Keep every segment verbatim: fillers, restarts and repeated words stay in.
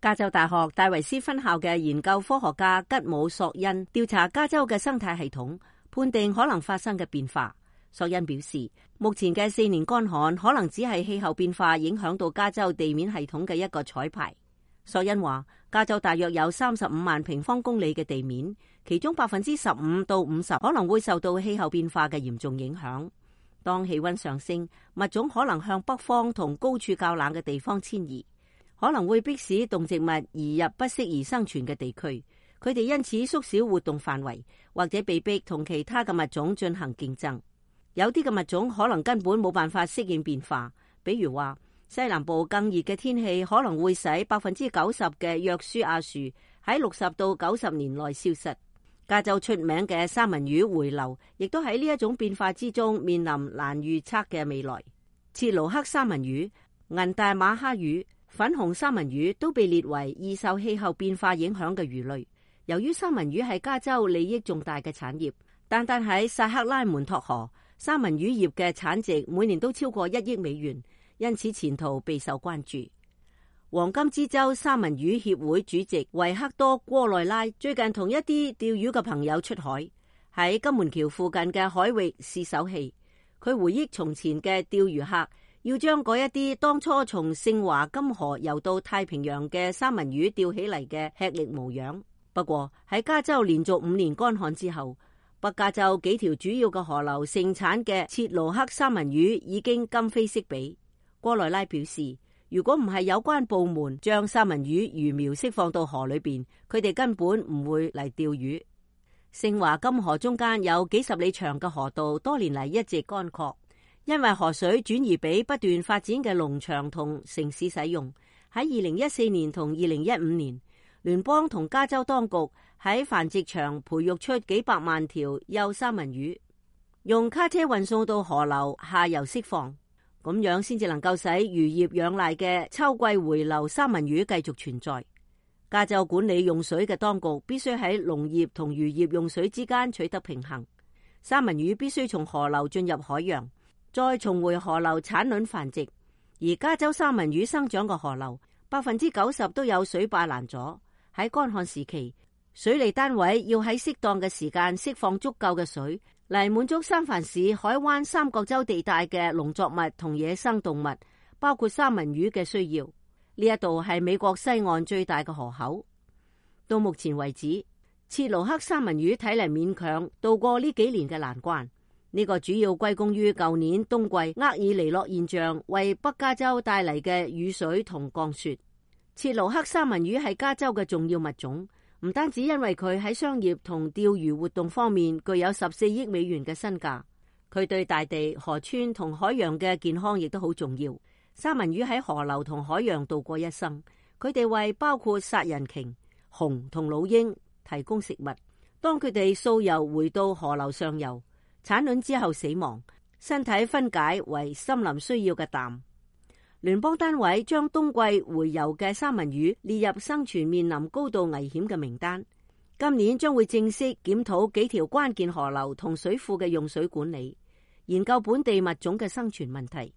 加州大學戴維斯分校嘅研究科學家吉姆索恩調查加州嘅生態系統，判定可能發生嘅變化。索恩表示，目前嘅四年乾旱可能只係氣候變化影響到加州地面系統嘅一個彩排。索恩話，加州大約有三十五萬平方公里嘅地面，其中百分之十五到五十可能會受到氣候變化嘅嚴重影響。當氣溫上升，物種可能向北方同高處較冷嘅地方遷移，可能會迫使動植物移入不適宜生存嘅地區。佢哋因此縮小活動範圍，或者被逼同其他嘅物種進行競爭。有啲嘅物種可能根本冇辦法適應變化，比如話西南部更熱嘅天氣可能會使百分之九十嘅約書亞樹喺六十到九十年內消失。加州出名嘅三文魚回流，亦都喺呢一種變化之中面臨難預測嘅未來。切盧克三文魚、銀大馬哈魚、粉紅三文魚都被列為易受氣候變化影響嘅魚類。由於三文魚係加州利益重大嘅產業，單單喺薩克拉門托河，三文魚業嘅產值每年都超過一億美元，因此前途備受關注。黃金之州三文魚協會主席維克多·戈內拉最近同一啲釣魚嘅朋友出海，喺金門橋附近嘅海域試手氣。佢回憶從前嘅釣魚客要將嗰一啲當初從聖華金河游到太平洋嘅三文魚釣起嚟嘅吃力模樣。不過喺加州連續五年乾旱之後，北加州幾條主要嘅河流盛產嘅切盧克三文魚已經今非昔比。戈內拉表示，如果唔係有關部門將三文魚魚苗釋放到河裏邊，佢哋根本唔會嚟釣魚。聖華金河中間有幾十里長嘅河道，多年嚟一直乾涸，因為河水轉移俾不斷發展嘅農場同城市使用。喺二零一四年同二零一五年，聯邦同加州當局喺繁殖場培育出幾百萬條幼三文魚，用卡車運送到河流下游釋放。咁樣先至能夠使漁業養賴嘅秋季回流三文魚繼續存在。加州管理用水嘅當局必須喺農業同漁業用水之間取得平衡。三文魚必須從河流進入海洋，再重回河流產卵繁殖。而加州三文魚生長嘅河流百分之九十都有水壩攔阻。喺乾旱時期，水利單位要喺適當嘅時間釋放足夠嘅水，嚟滿足三藩市海灣三角洲地帶嘅農作物同野生動物，包括三文魚嘅需要。呢一度係美國西岸最大嘅河口。到目前為止，切盧克三文魚睇嚟勉強度過呢幾年嘅難關。呢個主要歸功於舊年冬季厄爾尼諾現象為北加州帶嚟嘅雨水同降雪。切盧克三文魚係加州嘅重要物種。唔單止因為佢喺商業同釣魚活動方面具有十四億美元嘅身價，佢對大地、河川同海洋嘅健康亦都好重要。三文魚喺河流同海洋度過一生，佢哋為包括殺人鯨、熊同老鷹提供食物。當佢哋溯游回到河流上游，產卵之後死亡，身體分解為森林需要嘅氮。聯邦單位將冬季回游嘅三文魚列入生存面臨高度危險嘅名單。今年將會正式檢討幾條關鍵河流同水庫嘅用水管理，研究本地物種嘅生存問題。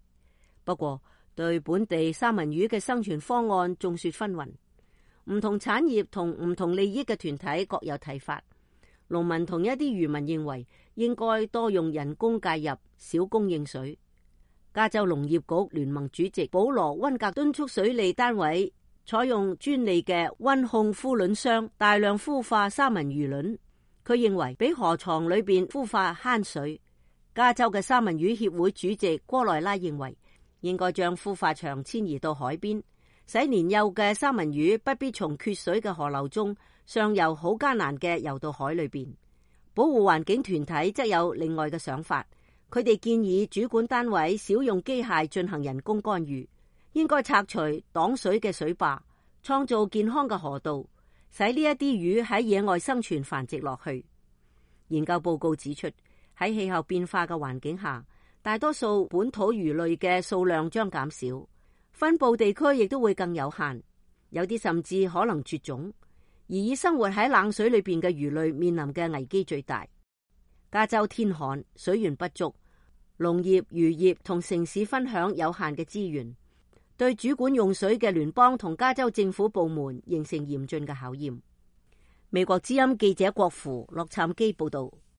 不過，對本地三文魚嘅生存方案眾說紛紜，唔同產業同唔同利益嘅團體各有睇法。農民同一啲漁民認為應該多用人工介入，少供應水。加州農業局聯盟主席保羅溫格敦促水利單位採用專利嘅溫控孵卵箱，大量孵化三文魚卵。佢認為比河床裏邊孵化慳水。加州嘅三文魚協會主席戈內拉認為應該將孵化場遷移到海邊，使年幼嘅三文魚不必從缺水嘅河流中上游好艱難嘅游到海裏邊。保護環境團體則有另外嘅想法。佢哋建議主管單位少用機械進行人工干預，應該拆除擋水嘅水壩，創造健康嘅河道，使呢一啲魚喺野外生存繁殖落去。研究報告指出，喺氣候變化嘅環境下，大多數本土魚類嘅數量將減少，分布地區亦都會更有限，有啲甚至可能絕種。而以生活喺冷水裏邊嘅魚類面臨嘅危機最大。加州天旱，水源不足，農業、漁業同城市分享有限嘅資源。對主管用水嘅聯邦同加州政府部門形成嚴峻嘅考驗。美國之音記者郭芙洛杉磯報道。